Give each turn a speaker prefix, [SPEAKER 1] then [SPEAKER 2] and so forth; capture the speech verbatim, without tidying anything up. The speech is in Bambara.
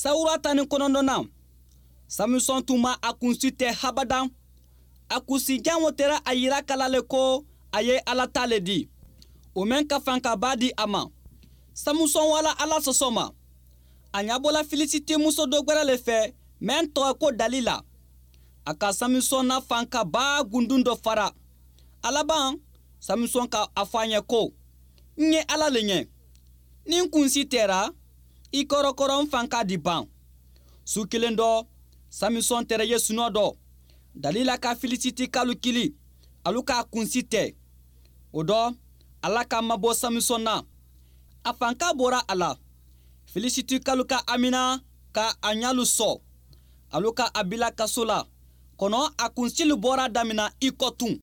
[SPEAKER 1] Sawura tan ni kɔnɔntɔnnan, Samusɔn tun ma a kunsi tɛ habadan. A kunsijan o tɛra a yira kala le ko a ye Ala ta le di, o mɛn ka fankaba di a ma. Samusɔn wala Ala sɔsɔ ma. A ɲabɔla Filisiti muso dɔ gwɛrɛ le fɛ mɛn tɔgɔ ko Dalila. A ka Samusɔn na fankaba gundun dɔ fara. A laban, Samusɔn ka a fɔ a ɲɛ ko: "N ye Ala le ɲɛ. Ni n kunsi tɛra, i kɔrɔkɔrɔ n fanka di ban." Su kelen dɔ, Samusɔn tɛrɛ ye sunɔ dɔ. Dalila ka Filisiti kalu kili, alu k'a kunsi tɛ. O dɔ, Ala ka mabɔ Samusɔn na. A fanka bɔra a la. Filisiti kalu ka amina ka a ɲalu sɔ. Alu ka a bila kaso la. Kɔnɔ a kunsilu bɔra damina i kɔ tun.